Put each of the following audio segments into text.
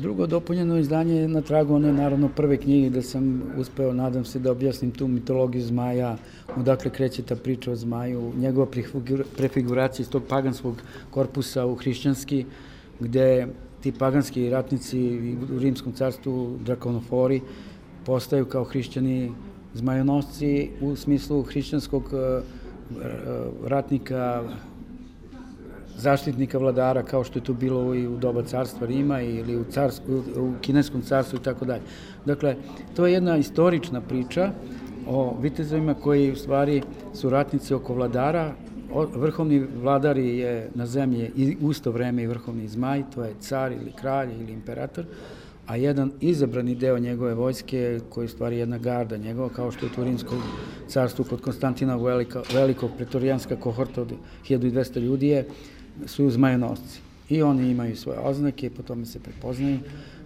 Drugo dopunjeno izdanje je na tragu one naravno prve knjige da sam uspeo, nadam se, da objasnim tu mitologiju zmaja, odakle kreće ta priča o zmaju, njegova prefiguracija iz tog paganskog korpusa u hrišćanski, gde ti paganski ratnici u Rimskom carstvu, drakonofori, postaju kao hrišćani zmajonosci u smislu hrišćanskog ratnika, zaštitnika vladara, kao što je to bilo i u doba carstva Rima ili u kineskom carstvu i tako dalje. Dakle, to je jedna istorična priča o vitezovima koji u stvari su ratnici oko vladara. Vrhovni vladar je na zemlji i u isto vreme i vrhovni zmaj, to je car ili kralj ili imperator, a jedan izabrani deo njegove vojske, koji je u stvari jedna garda njegova, kao što je u Rimskom carstvu kod Konstantina Velikog, pretorijanska kohorta od 1200 ljudi su zmajonosci. I oni imaju svoje oznake, po tome se prepoznaju.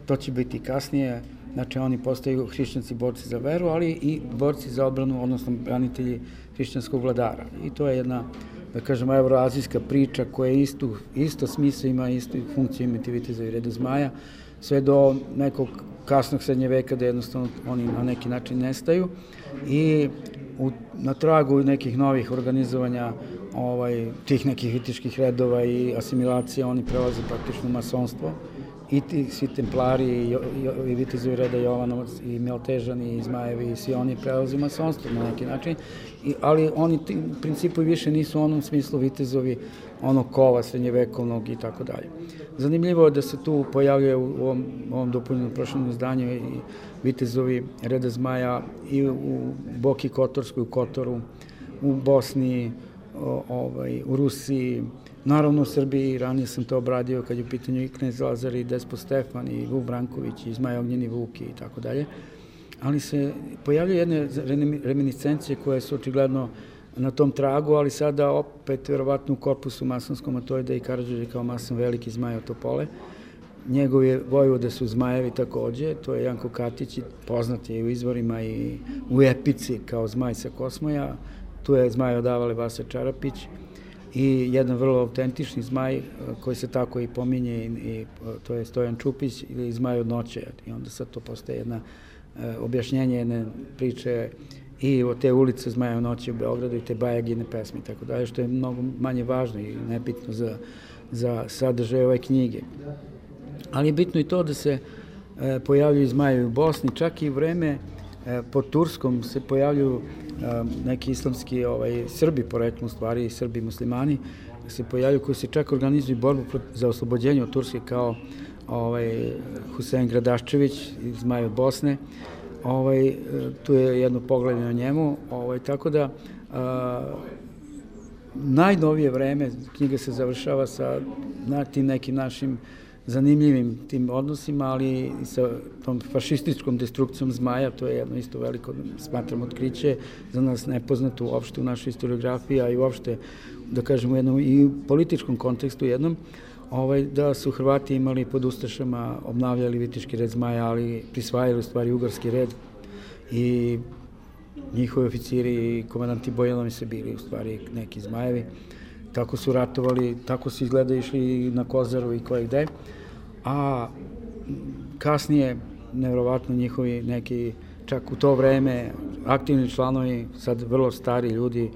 To će biti kasnije, znači oni postaju hrišćanci borci za veru, ali i borci za odbranu, odnosno branitelji hrišćanskog vladara. I to je jedna, da kažemo, evroazijska priča koja isto smisla ima, istu funkciju imati vitezovi reda zmaja, sve do nekog kasnog srednje veka da jednostavno oni na neki način nestaju i na tragu nekih novih organizovanja tih nekih viteških redova i asimilacija oni prelaze praktično u masonstvo i svi templari i vitezovi reda Jovanovac i Miltežani i Zmajevi i svi oni prelaze u masonstvo na neki način, ali oni u principu više nisu u onom smislu vitezovi onog kova srednjevekovnog i tako dalje. Zanimljivo je da se tu pojavljuje u ovom dopunjenom prošlom izdanju i vitezovi reda zmaja i u Boki Kotorskoj, u Kotoru, u Bosni, u Rusiji, naravno u Srbiji, ranije sam to obradio kad je u pitanju i knez Lazar i Despot Stefan i Vuk Branković i Zmaj Ognjeni Vuk i tako dalje, ali se pojavljaju jedne reminiscencije koje su očigledno na tom tragu, ali sada opet verovatno u korpusu masonskom, a to je da i Karađorđe kao mason veliki zmaj od Topole. Njegovi vojvode su zmajevi takođe, to je Janko Katić, poznat je u izvorima i u epici kao zmaj sa Kosmoja, tu je zmaj odavale Vasa Čarapić i jedan vrlo autentični zmaj koji se tako i pominje, i to je Stojan Čupić ili zmaj od noće, i onda sad to postaje jedna objašnjenje jedne priče i o te ulice Zmaja u noći u Beogradu i te Bajagine pesme i tako dalje, što je mnogo manje važno i nebitno za sadržaj ove knjige. Ali je bitno i to da se pojavljuju zmajevi u Bosni, čak i u vreme pod Turskom se pojavljuju neki islamski Srbi poreklom, stvari Srbi muslimani, se pojavljuju koji se čak organizuju borbu za oslobođenje od Turske kao Husein Gradaščević, zmaj od Bosne. Tu je jedno poglavlje o njemu, tako da najnovije vreme knjiga se završava sa tim nekim našim zanimljivim tim odnosima, ali i sa tom fašističkom destrukcijom zmaja, to je jedno isto veliko, smatram, otkriće, za nas nepoznato uopšte u našoj historiografiji, a i uopšte, da kažemo, i u političkom kontekstu jednom, da su Hrvati imali pod ustašama, obnavljali viteški red zmaja, ali prisvajali u stvari ugarski red i njihovi oficiri i komandanti Bojanovi se bili u stvari neki zmajevi. Tako su ratovali, tako su izgleda išli na Kozaru i koje gde, a kasnije, nevjerovatno, njihovi neki, čak u to vreme, aktivni članovi, sad vrlo stari ljudi,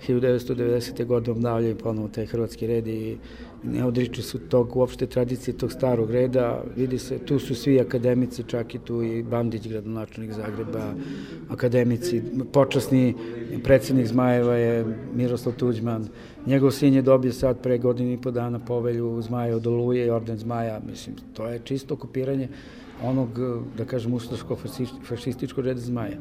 1990. godine obnavljaju ponovo taj hrvatski red i ne odriču su tog uopšte tradicije tog starog reda. Vidi se, tu su svi akademici, čak i tu i Bandić, gradonačelnik Zagreba, akademici, počasni predsednik Zmajeva je Miroslav Tuđman. Njegov sin je dobio sad pre godinu i po dana povelju Zmaja od Oluje i orden Zmaja. Mislim, to je čisto kopiranje onog, da kažem, ustaško-fašističkog reda zmaja.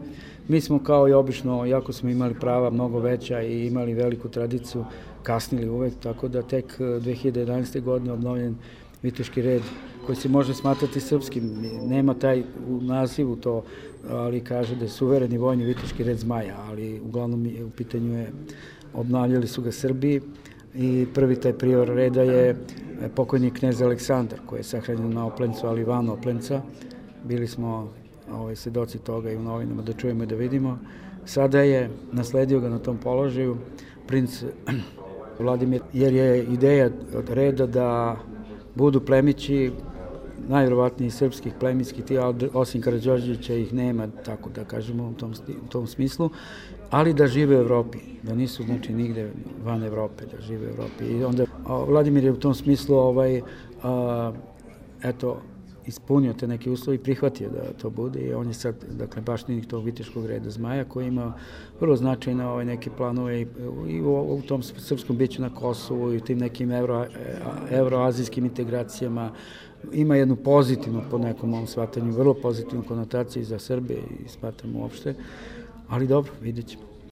Mi smo kao i obično, iako smo imali prava mnogo veća i imali veliku tradiciju, kasnili uvek, tako da tek 2011. godine obnovljen viteški red koji se može smatrati srpskim. Nema taj u nazivu to, ali kaže da je suvereni vojni viteški red zmaja, ali uglavnom u pitanju je, obnavljali su ga Srbi i prvi taj prior reda je pokojni knez Aleksandar, koji je sahranjen na Oplencu, ali van Oplenca. Bili smo svedoci toga i u novinama da čujemo i da vidimo. Sada je nasledio ga na tom položaju princ Vladimir, jer je ideja od reda da budu plemići najvjerovatniji srpskih plemenskih, osim Karađorđevića ih nema, tako da kažemo u tom smislu, ali da žive u Evropi, da nisu znači nigde van Evrope, da žive u Evropi. I onda Vladimir je u tom smislu eto, ispunio te neke uslove i prihvatio da to bude i on je sad, dakle, baštinik tog viteškog reda Zmaja koji ima vrlo značajne neke planove i u tom srpskom biću na Kosovu i u tim nekim euroazijskim integracijama. Ima jednu pozitivnu, po nekom mom shvatanju, vrlo pozitivnu konotaciju za Srbe i smatram uopšte, ali dobro, vidjet ćemo.